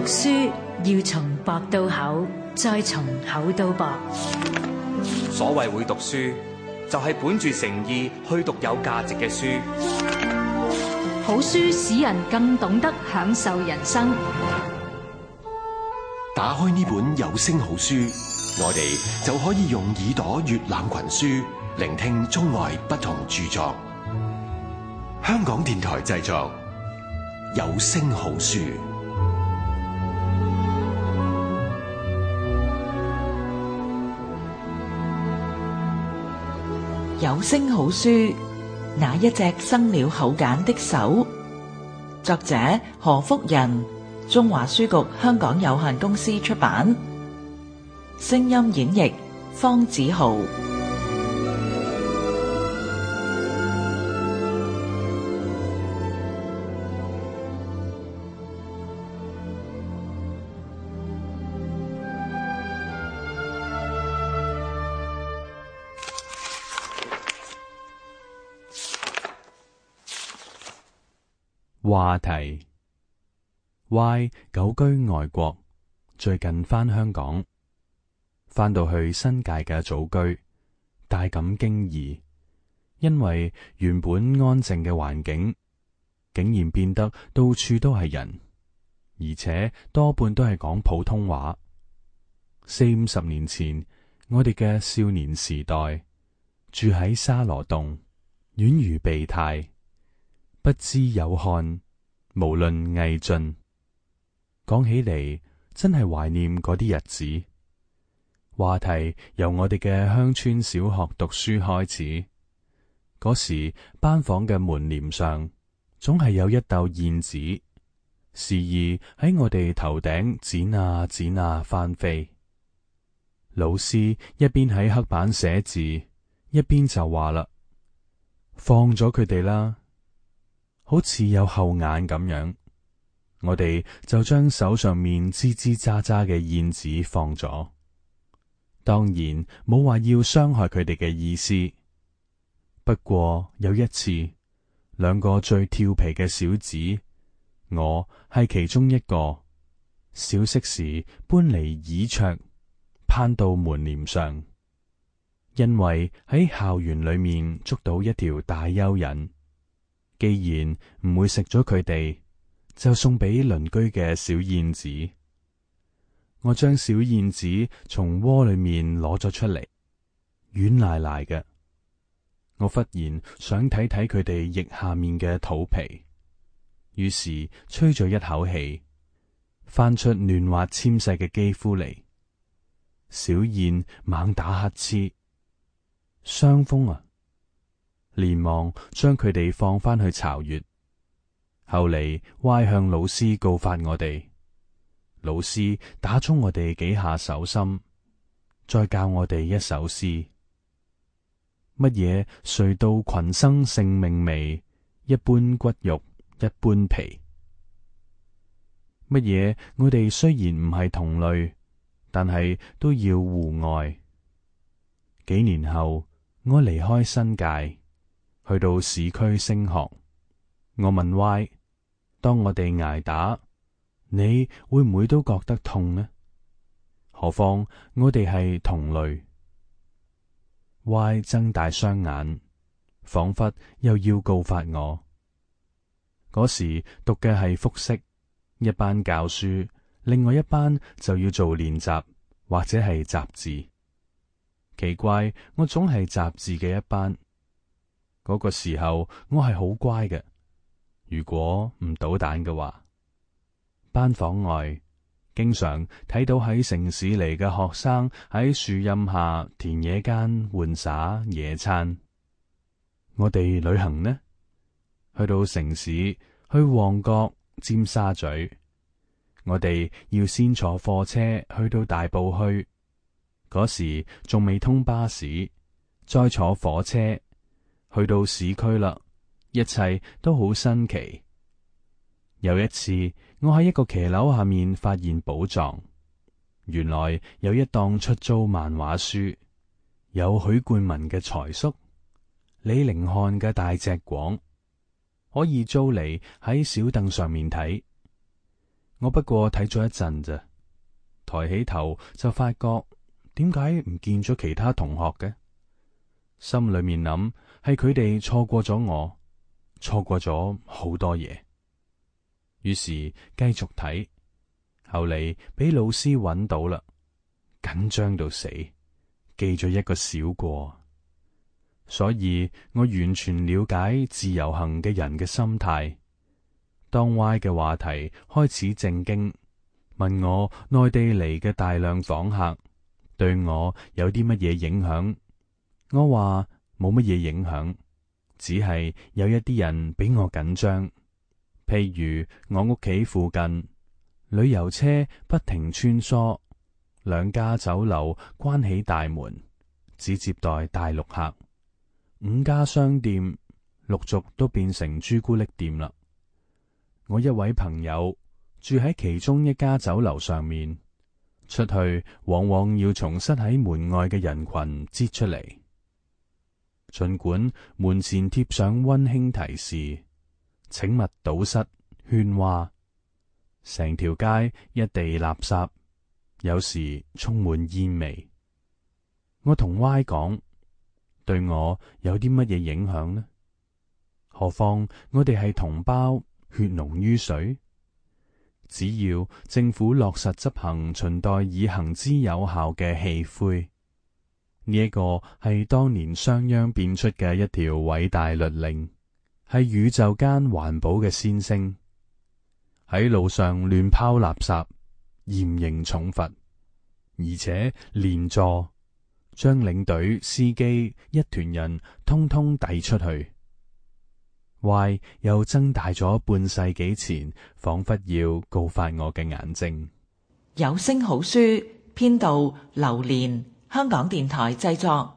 書要從薄到厚，再從厚到薄。所謂會讀書，就係本住誠意去讀有價值嘅書。好書使人更懂得享受人生。打開呢本有聲好書，我哋就可以用耳朵閱覽群書，聆聽中外不同著作。香港電台製作，有聲好書。有聲好書，那一隻生了口繭的手。作者何福仁，中華書局香港有限公司出版。聲音演繹方子豪。話題 Y 久居外國，最近返香港，返到去新界嘅祖居，大感驚異，因為原本安靜嘅環境，竟然變得到處都係人，而且多半都係講普通話。40-50年前，我哋嘅少年時代，住喺沙羅洞，宛如備胎。不知有漢，無論魏晉。講起嚟，真係懷念嗰啲日子。話題由我哋嘅鄉村小學讀書開始。嗰時班房嘅門簾上，總係有一竇燕子，時而喺我哋頭頂剪啊剪啊翻飛。老師一邊喺黑板寫字，一邊就話啦：放咗佢哋啦。好似有後眼咁樣，我哋就將手上面吱吱喳喳嘅燕子放咗。當然冇話要傷害佢哋嘅意思。不過有一次，兩個最調皮嘅小子，我係其中一個，小息時搬嚟椅桌，攀到門簾上，因為喺校園裏面捉到一條大蚯蚓。既然唔會食咗佢哋，就送俾鄰居嘅小燕子。我將小燕子從窩裏面攞咗出嚟，軟賴賴嘅。我忽然想睇睇佢哋翼下面嘅肚皮，於是吹咗一口氣，翻出嫩滑纖細嘅肌膚嚟。小燕猛打乞嗤，傷風啊！連忙將佢哋放返去巢穴。後嚟歪向老師告發我哋，老師打咗我哋幾下手心，再教我哋一首詩：乜嘢誰道群生性命微，一般骨肉一般皮。乜嘢我哋雖然唔係同類，但係都要互愛。幾年後，我離開新界，去到市區升學。我問 Y： 當我哋挨打，你會唔會都覺得痛呢？何況我哋係同類。Y 睜大雙眼，仿佛又要告發我。嗰時讀嘅係複式，一班教書，另外一班就要做練習或者係習字。奇怪，我總係習字嘅一班。嗰個時候我係好乖嘅，如果唔搗蛋嘅話。班房外經常睇到喺城市嚟嘅學生喺樹蔭下田野間玩耍野餐。我哋旅行呢，去到城市，去旺角、尖沙咀，我哋要先坐貨車去到大埔墟，嗰時仲未通巴士，再坐火車去到市區啦，一切都好新奇。有一次，我喺一個騎樓下面發現寶藏，原來有一檔出租漫畫書，有許冠文嘅財叔、李凌漢嘅大隻廣，可以租嚟喺小凳上面睇。我不過睇咗一陣咋，抬起頭就發覺點解唔見咗其他同學嘅？心裏面諗係佢哋錯過咗我，錯過咗好多嘢。於是繼續睇，後嚟俾老師揾到啦，緊張到死，記咗一個小過。所以我完全了解自由行嘅人嘅心態。當 Y 嘅話題開始正經，問我內地嚟嘅大量訪客對我有啲乜嘢影響，我話冇乜嘢影響，只係有一啲人比我緊張。譬如我屋企附近旅遊車不停穿梭，2家酒樓關起大門，只接待大陸客，5家商店陸續都變成朱古力店啦。我一位朋友住喺其中一家酒樓上面，出去往往要從塞喺門外嘅人群擠出嚟。儘管門前貼上溫馨提示，請勿堵塞喧嘩，成條街一地垃圾，有時充滿煙味。我同 Y 講，對我有啲乜嘢影響呢？何況我哋係同胞，血濃於水。只要政府落實執行秦代以行之有效嘅棄灰，呢一個係當年商鞅變出嘅一條偉大律令，係宇宙間環保嘅先聲。喺路上亂拋垃圾，嚴刑重罰，而且連坐，將領隊、司機一團人通通遞出去。Y 又增大咗半世紀前，仿佛要告發我嘅眼睛。有聲好書編導劉蓮，香港電台製作。